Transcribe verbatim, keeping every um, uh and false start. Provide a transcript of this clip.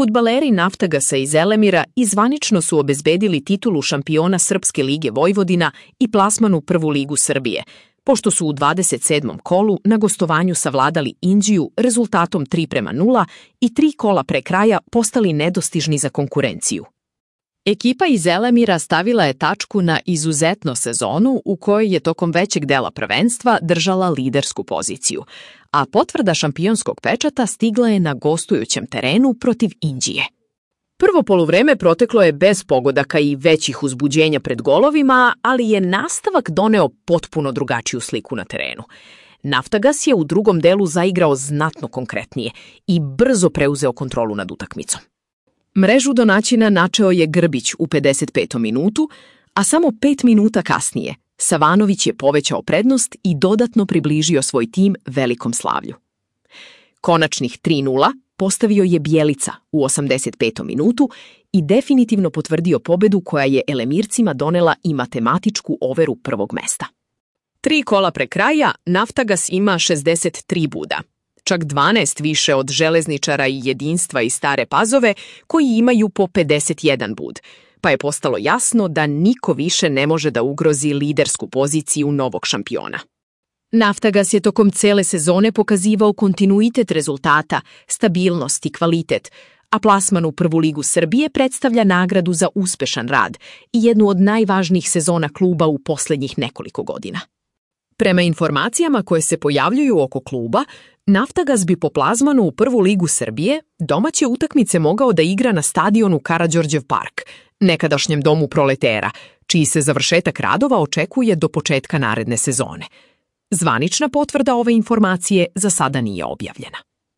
Fudbaleri Naftagasa iz Zelemira i zvanično su obezbedili titulu šampiona Srpske lige Vojvodina i plasman u Prvu ligu Srbije, pošto su u dvadeset sedmom kolu na gostovanju savladali Inđiju rezultatom tri prema nula i tri kola pre kraja postali nedostižni za konkurenciju. Ekipa iz Zelemira stavila je tačku na izuzetnu sezonu u kojoj je tokom većeg dela prvenstva držala lidersku poziciju, a potvrda šampionskog pečata stigla je na gostujućem terenu protiv Inđije. Prvo poluvreme proteklo je bez pogodaka i većih uzbuđenja pred golovima, ali je nastavak doneo potpuno drugačiju sliku na terenu. Naftagas je u drugom delu zaigrao znatno konkretnije i brzo preuzeo kontrolu nad utakmicom. Mrežu domaćina načeo je Grbić u pedeset petom minutu, a samo pet minuta kasnije Savanović je povećao prednost i dodatno približio svoj tim velikom slavlju. Konačnih tri nula postavio je Bjelica u osamdeset petom minutu i definitivno potvrdio pobedu koja je Elemircima donela i matematičku overu prvog mesta. Tri kola pre kraja Naftagas ima šezdeset tri boda, čak dvanaest više od Železničara i Jedinstva iz Stare Pazove koji imaju po pedeset jedan bod, pa je postalo jasno da niko više ne može da ugrozi lidersku poziciju novog šampiona. Naftagas je tokom cele sezone pokazivao kontinuitet rezultata, stabilnost i kvalitet, a plasman u Prvu ligu Srbije predstavlja nagradu za uspešan rad i jednu od najvažnijih sezona kluba u poslednjih nekoliko godina. Prema informacijama koje se pojavljuju oko kluba, Naftagas bi po plasmanu u Prvu ligu Srbije domaće utakmice mogao da igra na stadionu Karađorđev park, nekadašnjem domu Proletera, čiji se završetak radova očekuje do početka naredne sezone. Zvanična potvrda ove informacije za sada nije objavljena.